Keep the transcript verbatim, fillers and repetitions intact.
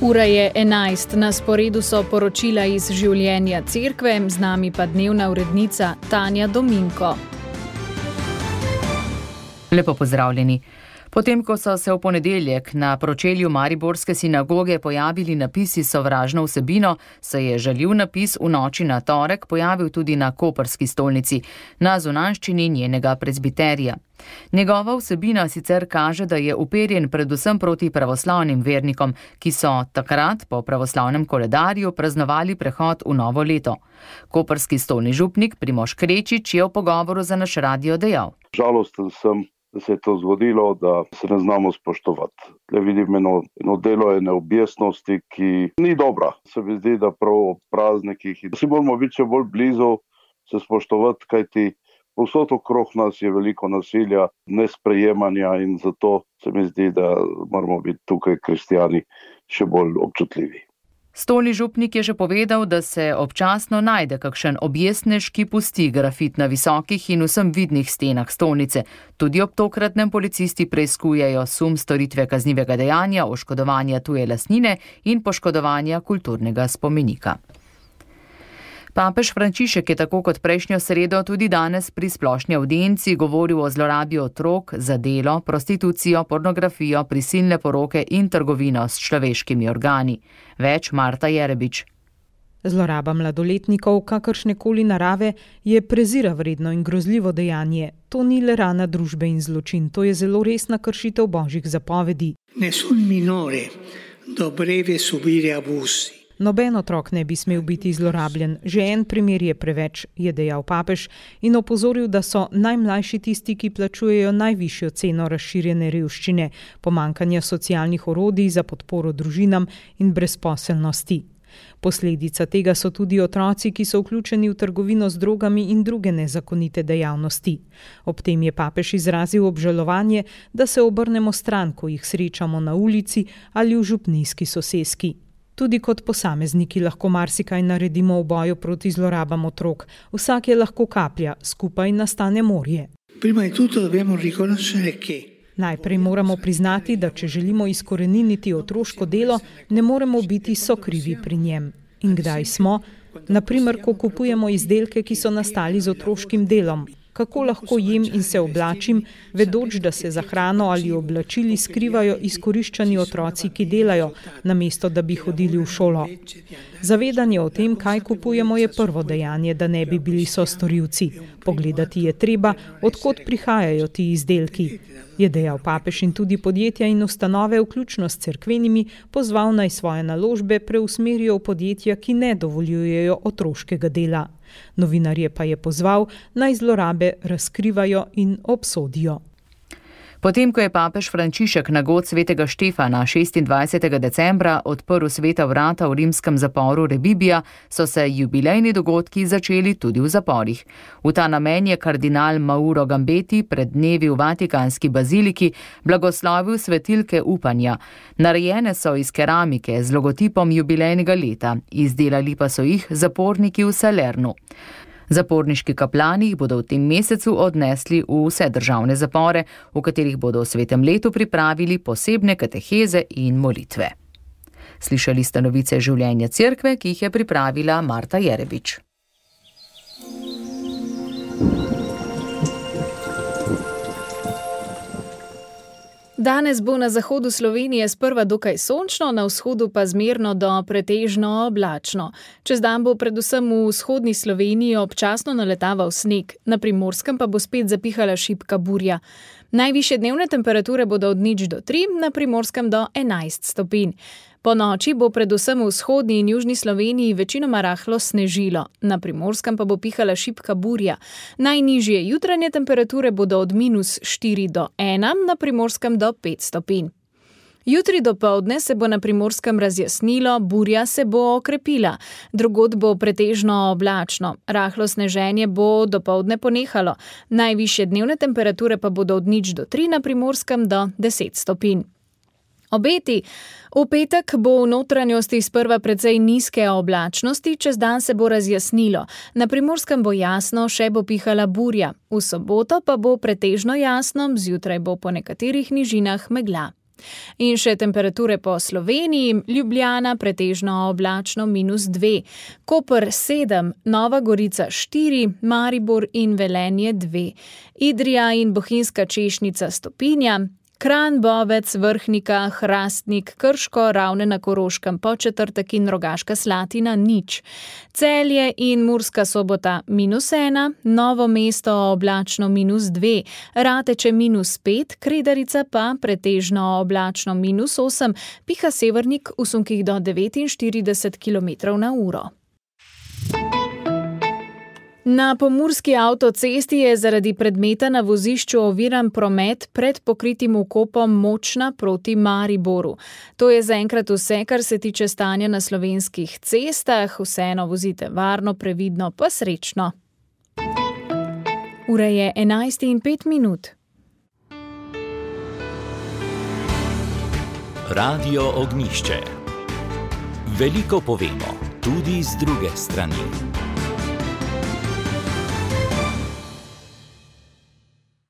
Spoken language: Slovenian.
Ura je enajst, na sporedu so poročila iz življenja cerkve, z nami pa dnevna urednica Tanja Dominko. Lepo pozdravljeni. Potem, ko so se v ponedeljek na pročelju mariborske sinagoge pojavili napisi s sovražno vsebino, se je žaljiv napis v noči na torek pojavil tudi na koprski stolnici, na zunanjščini njenega prezbiterija. Njegova vsebina sicer kaže, da je uperjen predvsem proti pravoslavnim vernikom, ki so takrat po pravoslavnem koledarju praznovali prehod v novo leto. Koprski stolni župnik Primož Krečič je v pogovoru za naš radio dejal: Žalosten sem, da se je to zgodilo, da se ne znamo spoštovati. Le vidim eno, eno delo ene objestnosti, ki ni dobra. Se mi zdi, da prav ob praznikih si moramo biti še bolj blizu, se spoštovati, kajti povsod okrog nas je veliko nasilja, nesprejemanja in zato se mi zdi, da moramo biti tukaj kristjani še bolj občutljivi. Stolni župnik je že povedal, da se občasno najde kakšen objestnež, ki pusti grafit na visokih in vsem vidnih stenah stolnice. Tudi ob tokratnem policisti preiskujejo sum storitve kaznivega dejanja, oškodovanja tuje lastnine in poškodovanja kulturnega spomenika. Papež Frančišek je tako kot prejšnjo sredo tudi danes pri splošni avdienci govoril o zlorabi otrok za delo, prostitucijo, pornografijo, prisilne poroke in trgovino s človeškimi organi. Več Marta Jerebič. Zloraba mladoletnikov kakršnekoli narave je prezira vredno in grozljivo dejanje. To ni le rana družbe in zločin, to je zelo resna kršitev božjih zapovedi. Nessun minore dovrebbe subire abusi. Noben otrok ne bi smel biti zlorabljen, že en primer je preveč, je dejal papež in opozoril, da so najmlajši tisti, ki plačujejo najvišjo ceno razširjene revščine, pomanjkanja socialnih orodij za podporo družinam in brezposelnosti. Posledica tega so tudi otroci, ki so vključeni v trgovino z drogami in druge nezakonite dejavnosti. Ob tem je papež izrazil obžalovanje, da se obrnemo stran, ko jih srečamo na ulici ali v župnijski soseski. Tudi kot posamezniki lahko marsikaj naredimo v boju proti zlorabam otrok. Vsak je lahko kaplja, skupaj nastane morje. Najprej moramo priznati, da če želimo izkoreniniti otroško delo, ne moremo biti sokrivi pri njem. In kdaj smo? Naprimer, ko kupujemo izdelke, ki so nastali z otroškim delom. Kako lahko jem in se oblačim, vedoč, da se za hrano ali oblačili skrivajo izkoriščani otroci, ki delajo, namesto da bi hodili v šolo. Zavedanje o tem, kaj kupujemo, je prvo dejanje, da ne bi bili sostorilci. Pogledati je treba, od kod prihajajo ti izdelki. Je dejal papež in tudi podjetja in ustanove, vključno s cerkvenimi, pozval naj svoje naložbe preusmerijo v podjetja, ki ne dovoljujejo otroškega dela. Novinarje pa je pozval, naj zlorabe razkrivajo in obsodijo. Potem, ko je papež Frančišek na god svetega Štefana šestindvajsetega decembra odprl sveta vrata v rimskem zaporu Rebibbia, so se jubilejni dogodki začeli tudi v zaporih. V ta namen je kardinal Mauro Gambeti pred dnevi v Vatikanski baziliki blagoslovil svetilke upanja. Narejene so iz keramike z logotipom jubilejnega leta, izdelali pa so jih zaporniki v Salernu. Zaporniški kaplani jih bodo v tem mesecu odnesli v vse državne zapore, v katerih bodo v svetem letu pripravili posebne kateheze in molitve. Slišali ste novice življenja cerkve, ki jih je pripravila Marta Jerebič. Danes bo na zahodu Slovenije sprva dokaj sončno, na vzhodu pa zmerno do pretežno oblačno. Čez dan bo predvsem v vzhodni Sloveniji občasno naletaval sneg, na Primorskem pa bo spet zapihala šibka burja. Najvišje dnevne temperature bodo od nič do tri, na Primorskem do enajst stopinj. Po noči bo predvsem v vzhodni in južni Sloveniji večinoma rahlo snežilo, na Primorskem pa bo pihala šibka burja. Najnižje jutranje temperature bodo od minus štiri do ena, na Primorskem do pet stopinj. Jutri dopoldne se bo na Primorskem razjasnilo, burja se bo okrepila. Drugod bo pretežno oblačno. Rahlo sneženje bo dopoldne ponehalo. Najvišje dnevne temperature pa bodo od nič do tri, na Primorskem do deset stopinj. Obeti. V petek bo v notranjosti sprva precej nizke oblačnosti, čez dan se bo razjasnilo. Na Primorskem bo jasno, še bo pihala burja. V soboto pa bo pretežno jasno, zjutraj bo po nekaterih nižinah megla. In še temperature po Sloveniji, Ljubljana pretežno oblačno minus dve, Koper sedem, Nova Gorica štiri, Maribor in Velenje dve, Idrija in Bohinjska Češnica stopinja, Kranj, Bovec, Vrhnika, Hrastnik, Krško, Ravne na Koroškem, Podčetrtek in Rogaška Slatina nič. Celje in Murska Sobota minus ena, Novo mesto oblačno minus dve, Rateče minus pet, Kredarica pa pretežno oblačno minus osem, piha severnik v sunkih do devetinštirideset kilometrov na uro. Na pomurski avtocesti je zaradi predmeta na vozišču oviran promet pred pokritim vkopom Močna proti Mariboru. To je zaenkrat vse, kar se tiče stanja na slovenskih cestah. Vseeno vozite varno, previdno pa srečno. Ura je enajst in pet minut. Radio Ognjišče. Veliko povemo, tudi z druge strani.